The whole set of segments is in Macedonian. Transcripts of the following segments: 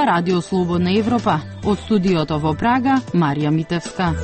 Ова Радио Слободна Европа. Од студиото во Прага, Марија Митевска.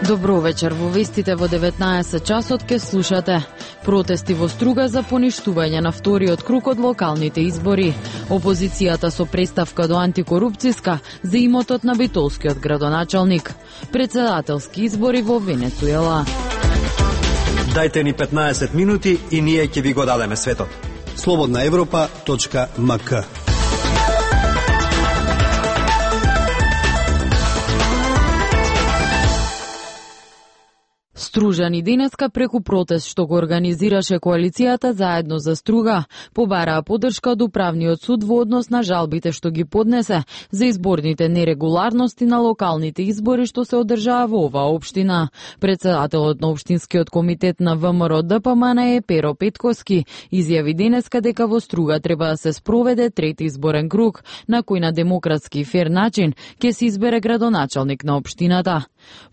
Добро вечер, во вестите во 19 часот ке слушате. Протести во Струга за поништување на вториот круг од локалните избори. Опозицијата со представка до антикорупцијска за имотот на битолскиот градоначалник. Председателски избори во Венецуела. Дајте ни 15 минути и ние ќе ви го дадеме светот. slobodnaevropa.mk. Стружани денеска преку протест што го организираше коалицијата Заедно за Струга, побараа поддршка од Управниот суд во однос на жалбите што ги поднесе за изборните нерегуларности на локалните избори што се одржаа во оваа општина. Председателот на Општинскиот комитет на ВМРО ДПМН е Перо Петковски изјави денеска дека во Струга треба да се спроведе трети изборен круг, на кој на демократски и фер начин ќе се избере градоначалник на општината.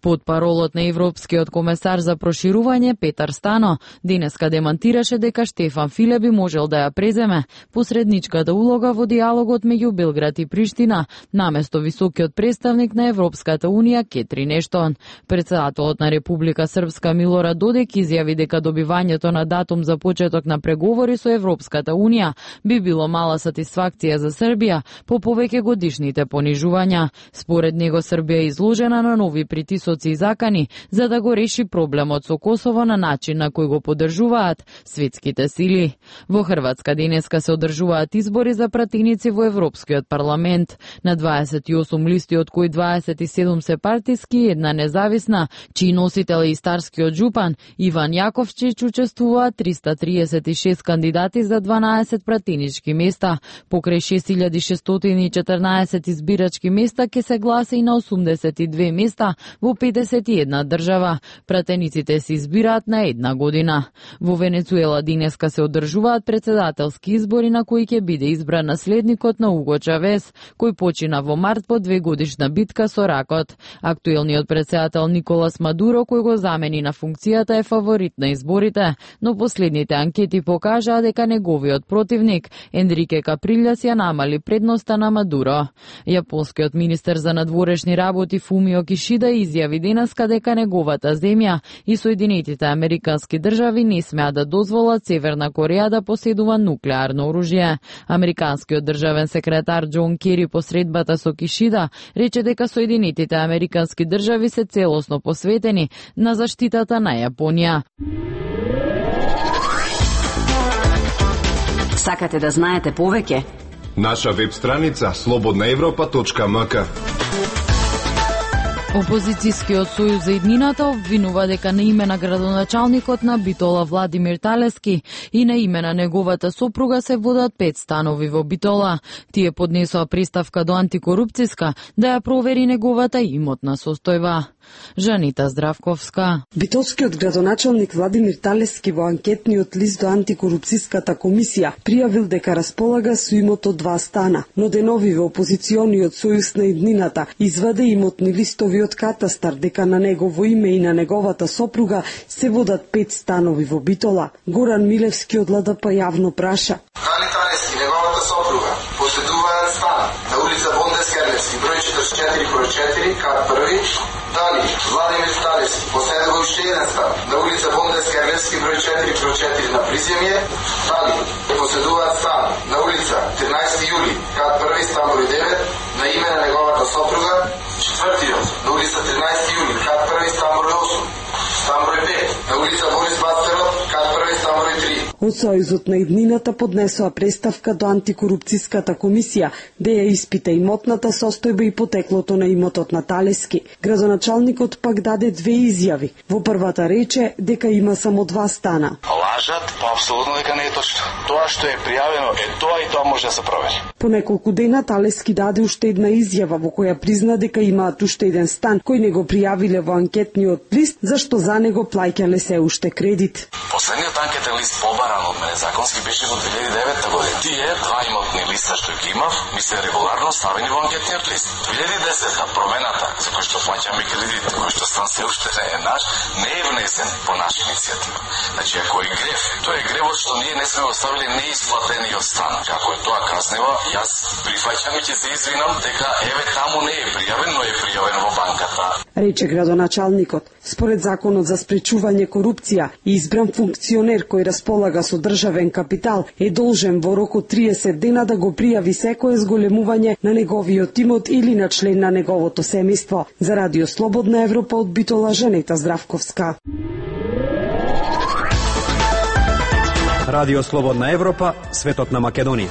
Потпаролот на Европскиот комесар за проширување Петар Стано денеска демантираше дека Штефан Филе би можел да ја преземе посредничката улога во диалогот меѓу Белград и Приштина, наместо високиот представник на Европската унија Кетрин Ештон. Председателот на Република Српска Милорад Додик изјави дека добивањето на датум за почеток на преговори со Европската унија би било мала сатисфакција за Србија по повеќе годишните понижувања. Според него Србија е изложена на нови притисоци и закани за да го реши проблемот со Косово на начин на кој го поддржуваат светските сили. Во Хрватска денеска се одржуваат избори за пратеници во Европскиот парламент. На 28 листи, од кои 27 се партиски и една независна, чиј носител е и старскиот жупан Иван Јаковчич, учествуваат 336 кандидати за 12 пратенички места. Покрај 6614 избирачки места ќе се гласа и на 82 места во 51 држава. Пратениците се избираат на една година. Во Венецуела денеска се одржуваат председателски избори на кои ќе биде избран наследникот на Уго Чавес, кој почина во март по 2-годишна битка со ракот. Актуелниот председател Николас Мадуро, кој го замени на функцијата, е фаворит на изборите, но последните анкети покажаа дека неговиот противник Енрике Каприлјас ја намали предноста на Мадуро. Јапонскиот министер за надворешни работи Фумио Кишида изјави денеска дека неговата земја и Соединетите Американски држави не смеа да дозволат Северна Кореја да поседува нуклеарно оружје. Американскиот државен секретар Џон Кери по средбата со Кишида рече дека Соединетите Американски држави се целосно посветени на заштитата на Јапонија. Сакате да знаете повеќе? Наша веб страница slobodnaevropa.mk. Опозицијскиот сојуз за иднината обвинува дека на име на градоначалникот на Битола Владимир Талески и на име на неговата сопруга се водат 5 станови во Битола. Тие поднесоа представка до антикорупцијска да ја провери неговата имотна состојба. Жанита Здравковска. Битолскиот градоначалник Владимир Талески во анкетниот лист до антикорупцијската комисија пријавил дека располага со имот од 2 стана, но денови во опозициониот сојуз на иднината изваде имотни листови од катастар дека на негово име и на неговата сопруга се водат 5 станови во Битола. Горан Милевски од ЛДП јавно праша: Дали Талески и неговата сопруга поседуваат стан на улица Бондес Керлевски, број 44/4, кат 1? Дали Владимир Талески поседува уште еден стан на улица Бондес Керлевски, број 4/4 на Приземје? Дали поседуваат стан на улица 13 јули, кат 1, стан број 9, на име на неговата сопруга? Четвртиот на улица 13 јули, кат 1, стан број 8, стан број 5, на улица Борис Бацерот, кат 1, стан број 3. Од Сојузот на иднината поднесоа представка до антикорупцијската комисија да ја испита имотната состојба и потеклото на имотот на Талески. Градоначалникот пак даде 2 изјави. Во првата рече дека има само 2 стана. Лажат, па апсолутно дека не е точно. Тоа што е пријавено е тоа и тоа може да се провери. По неколку дена Талески даде уште една изјава во која призна дека имаат уште еден стан кој не го пријавиле во анкетниот лист, зашто за него плаќале се уште кредит. Последниот анкетен лист побаран од мене законски беше во 2009 година. Тие 2 имотни листа што ги имав, ми се регуларно ставени во анкетниот лист. 2010 промената за кој што плаќаме кредит, кој што стан се уште не е наш, не е внесен по наша иницијатива. Значи, ако е грев. Тоа е гревот што ние не сме оставили неисплатениот стан. Како е тоа каснево, јас прифаќам и ќе се извинам дека еве таму не е пријавен, но е пријавен во банката. Рече градоначалникот. Според законот за спречување корупција, избран функционер кој располага со државен капитал е должен во рок од 30 дена да го пријави секое зголемување на неговиот имот или на член на неговото семејство. За Радио Слободна Европа од Битола Женета Здравковска. Радио Слободна Европа, светот на Македонија.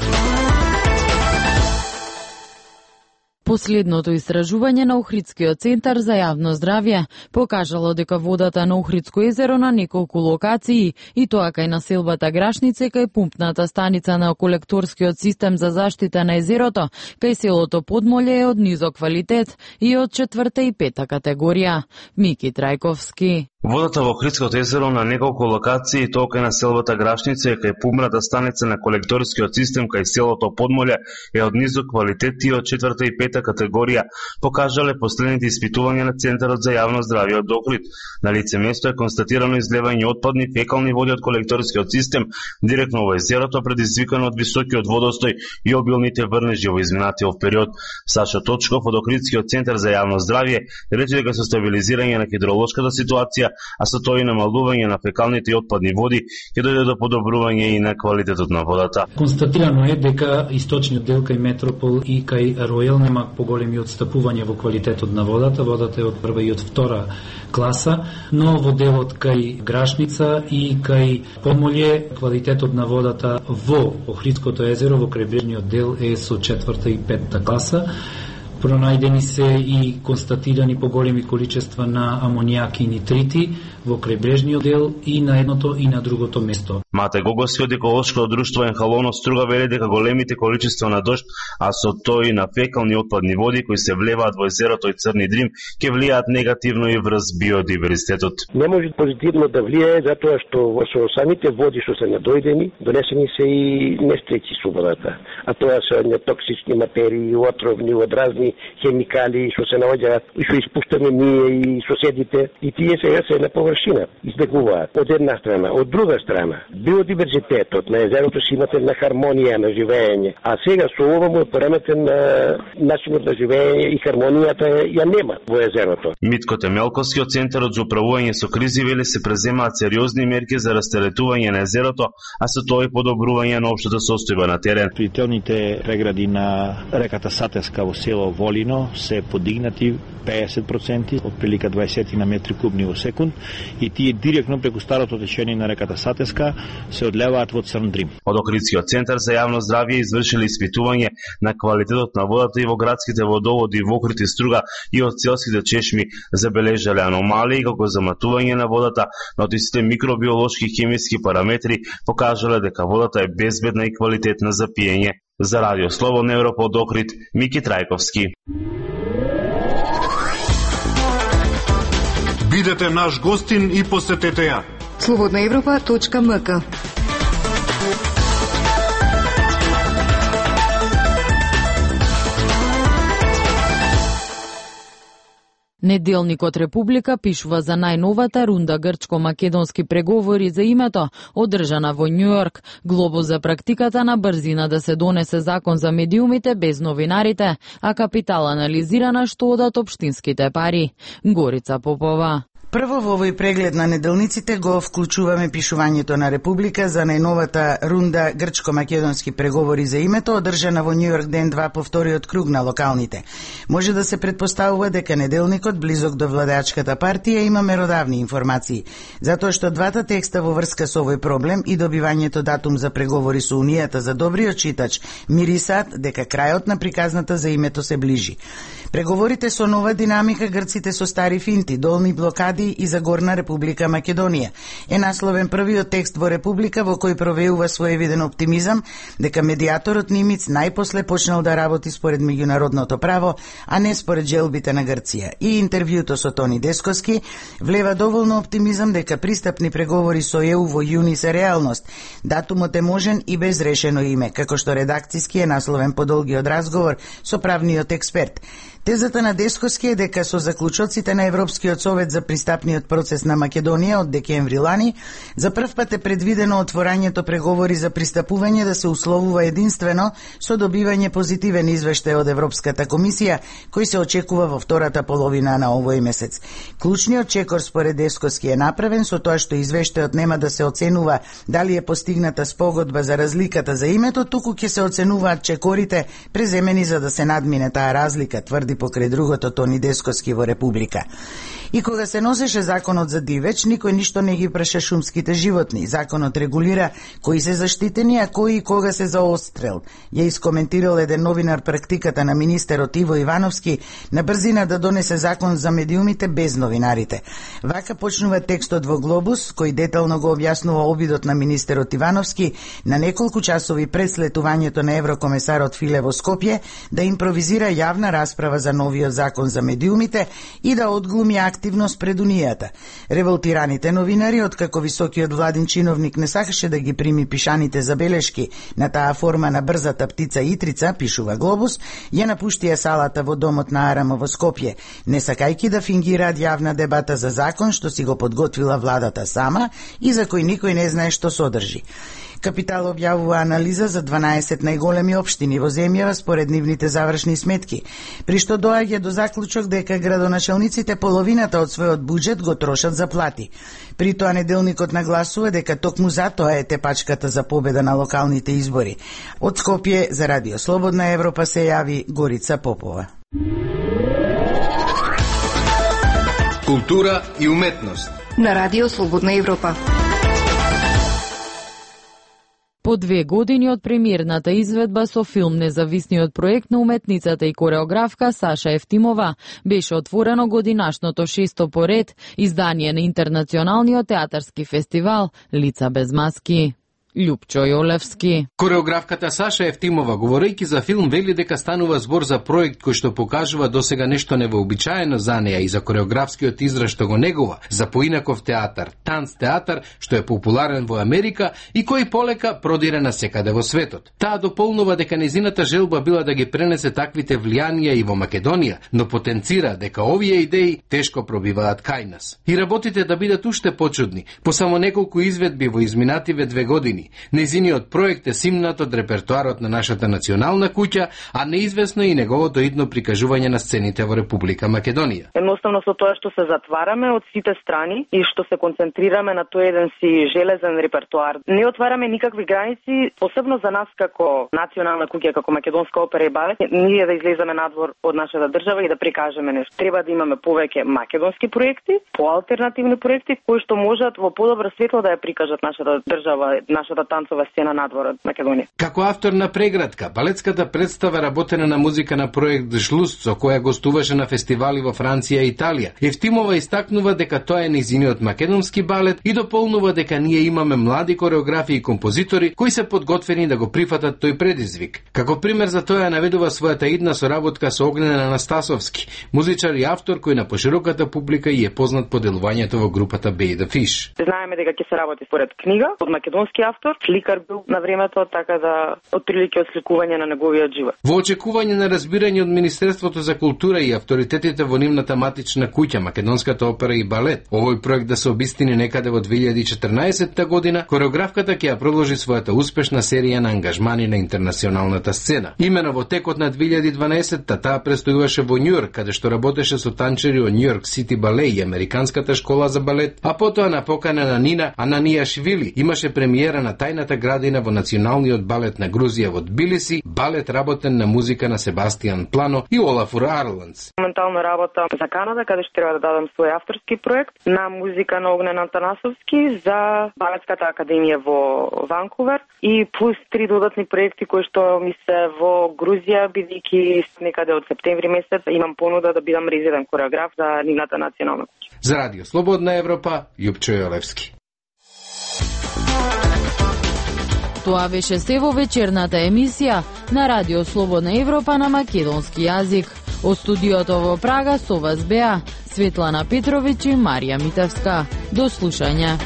Последното истражување на Охридскиот центар за јавно здравје покажало дека водата на Охридско езеро на неколку локации, и тоа кај населбата Грашнице, кај пумпната станица на колекторскиот систем за заштита на езерото, кај селото Подмоле е од низок квалитет и од 4-та и 5-та категорија. Мики Трајковски. Водата во Охридското езеро на неколку локации, тоа кај населбата Грашница, кај пумпната станица на колекторскиот систем кај селото Подмоле е од низок квалитет и од 4-та и 5-та категорија, покажале последните испитувања на Центарот за јавно здравје од Охрид. На лице место е констатирано излевање отпадни фекални води од колекторскиот систем директно во езерото, предизвикано од високиот водостој и обилните врнежи во изминатиот период. Сашо Точков од Охридскиот центар за јавно здравје рече дека со стабилизирање на хидролошката ситуација, а со тоа и намалување на фекалните и отпадни води, ќе дојде до подобрување и на квалитетот на водата. Констатирано е дека источниот дел кај Метропол и кај Ројал нема поголеми отстапувања во квалитетот на водата. Водата е од прва и од втора класа, но во делот кај Грашница и кај Подмоле квалитетот на водата во Охридското езеро во крајбрежниот дел е со 4-та и 5-та класа. Пронајдени се и констатирани поголеми количества на амонијак и нитрити во крајбрежниот дел и на едното и на другото место. Мате Гогоски од еколошкото друштво Енхалоно Струга вели дека големите количества на дожд, а со тоа и на фекални отпадни води кои се влеваат во езерото и Црни Дрим, ќе влијаат негативно и врз биодиверзитетот. Не може позитивно да влијае затоа што во самите води што се надојдени, донесени се и нестречи со водата, а тоа се нетоксични материи, отровни, одразни хемикали што се наоѓаат и што испуштаме ние и соседите, и тие сега се на површина избегуваат од една страна. Од друга страна, биодиверзитетот на езерото си имате на хармонија на живење, а сега со ова му е пореметен на начинот на живење и хармонијата ја нема во езерото. Митко Темелковски од Центарот за управување со кризи вели се преземаат сериозни мерки за растеретување на езерото, а со тоа и подобрување на општата состојба на терен. Прителните прегради на реката Сатеска во село Волино се подигнати 50%, отприлика 20 на метри кубни во секунд, и тие директно преку старото течение на реката Сатеска се одлеваат во Црн Дрим. Од Охридскиот центар за јавно здравје извршили испитување на квалитетот на водата и во градските водоводи во Охрид и Струга и од селските чешми забележале аномалии како заматување на водата, но од истите микробиолошки и хемиски параметри покажале дека водата е безбедна и квалитетна за пиење. За Радио Слободна Европа од Охрид, Мики Трајковски. Бидете наш гостин и посетете ја. slobodnaevropa.mk. Неделникот Република пишува за најновата рунда грчко-македонски преговори за името, одржана во Њујорк. Глобус за практиката на брзина да се донесе закон за медиумите без новинарите, а капитал анализирана што одат општинските пари. Горица Попова. Прво во овој преглед на неделниците го вклучуваме пишувањето на Република за најновата рунда грчко-македонски преговори за името, одржана во Њујорк ден 2 по вториот круг на локалните. Може да се предпоставува дека неделникот, близок до владеачката партија, има меродавни информации, затоа што двата текста во врска со овој проблем и добивањето датум за преговори со Унијата за добриот читач мирисаат дека крајот на приказната за името се ближи. Преговорите со нова динамика, грците со стари финти, долни блокади и за Горна Република Македонија. Е насловен првиот текст во Република во кој провеува своевиден оптимизам дека медиаторот Нимиц најпосле почнал да работи според меѓународното право, а не според желбите на Грција. И интервјуто со Тони Десковски влева доволно оптимизам дека пристапни преговори со ЕУ во јуни се реалност. Датумот е можен и без решено име, како што редакциски е насловен подолгиот разговор со правниот експерт. Тезата на Десковски е дека со заклучоците на Европскиот совет за пристапниот процес на Македонија од декември лани, за прв пат е предвидено отворањето преговори за пристапување да се условува единствено со добивање позитивен извештај од Европската комисија, кој се очекува во втората половина на овој месец. Клучниот чекор според Десковски е направен со тоа што извештајот нема да се оценува дали е постигната спогодба за разликата за името, туку ќе се оценуваат чекорите преземени за да се надмине таа разлика, тврди покрај другото Тони Десковски во Република. И кога се носеше законот за дивеч, никој ништо не ги праша шумските животни. Законот регулира кои се заштитени, а кои и кога се за отстрел. Ја искоментирал еден новинар практиката на министерот Иво Ивановски на брзина да донесе закон за медиумите без новинарите. Вака почнува текстот во Глобус, кој детално го објаснува обидот на министерот Ивановски на неколку часови пред слетувањето на еврокомесарот Филе во Скопје да импровизира јавна расправа за новиот закон за медиумите и да одглуми активност пред Унијата. Револтираните новинари, откако високиот владин чиновник не сакаше да ги прими пишаните забелешки на таа форма на брзата птица Итрица, пишува Глобус, ја напуштија салата во домот на Арама во Скопје, не сакајки да фингираат јавна дебата за закон што си го подготвила владата сама и за кој никој не знае што содржи. Капитал објавува анализа за 12 најголеми општини во земјава според нивните завршни сметки, при што доаѓа до заклучок дека градоначалниците половината од својот буџет го трошат за плати. При тоа неделникот нагласува дека токму затоа е тепачката за победа на локалните избори. Од Скопје за Радио Слободна Европа се јави Горица Попова. Култура и уметност на Радио Слободна Европа. По 2 години од премиерната изведба со филм Независниот проект на уметницата и кореографка Саша Ефтимова беше отворено годинашното 6-то поред издание на Интернационалниот театарски фестивал Лица без маски. Љупчо Јолевски. Кореографката Саша Ефтимова, говорејќи за филм, вели дека станува збор за проект кој што покажува досега нешто невообичаено за неа и за кореографскиот израз што го негува, за поинаков театар, танц театар, што е популарен во Америка и кој полека продира насекаде во светот. Таа дополнува дека незината желба била да ги пренесе таквите влијанија и во Македонија, но потенцира дека овие идеи тешко пробиваат кај нас. И работите да бидат уште почудни, по само неколку изведби во изминативе 2 години. Незиниот проект е симнат од репертоарот на нашата национална куќа, а неизвестно и неговото идно прикажување на сцените во Република Македонија. Едноставно со тоа што се затвараме од сите страни и што се концентрираме на тој еден си железен репертоар, не отвараме никакви граници, посебно за нас како национална куќа, како македонска опера и балет, ние да излеземе надвор од нашата држава и да прикажеме нешто. Треба да имаме повеќе македонски проекти, поалтернативни проекти кои што можат во подобро светло да ја прикажат нашата држава, нашата танцова сцена надвор од Македонија. Како автор на Преградка, балетската представа работена на музика на проект Жлуст, со која гостуваше на фестивали во Франција и Италија, Ефтимова истакнува дека тоа е низиниот македонски балет и дополнува дека ние имаме млади кореографи и композитори кои се подготвени да го прифатат тој предизвик. Како пример за тоа наведува својата идна соработка со Огнен Анастасовски, музичар и автор кој на пошироката публика и е познат по делувањето во групата Bay the Fish. Знаеме дека ќе се работи според книга од македонски автор, сликар бил на времето, така да отприлике осликување на неговиот живот. Во очекување на разбирање од Министерството за култура и авторитетите во нивната матична куќа, Македонската опера и балет, овој проект да се обистини некаде во 2014 година, кореографката ќе ја продолжи својата успешна серија на ангажмани на интернационалната сцена. Имено во текот на 2012-та таа престојуваше во Њујорк, каде што работеше со танчери од Њујорк Сити Бале и Американската школа за балет, а потоа на покана на Нина Ананијашвили имаше премиера на Тајната градина во Националниот балет на Грузија во Тбилиси, балет работен на музика на Себастијан Плано и Олафур Арландс. Моментално работа за Канада, каде што треба да дадам свој авторски проект на музика на Огнен Антанасовски за Балетската академија во Ванкувер и плюс 3 додатни проекти кои што ми се во Грузија, бидејќи некаде од септември месец имам понуда да бидам резидент кореограф за нивната национална куќа. За Радио Слободна Европа, Љупчо Јолевски. Тоа беше се во вечерната емисија на Радио Слободна Европа на македонски јазик. Од студиото во Прага со вас беа Светлана Петровиќ и Марија Митевска. До слушање.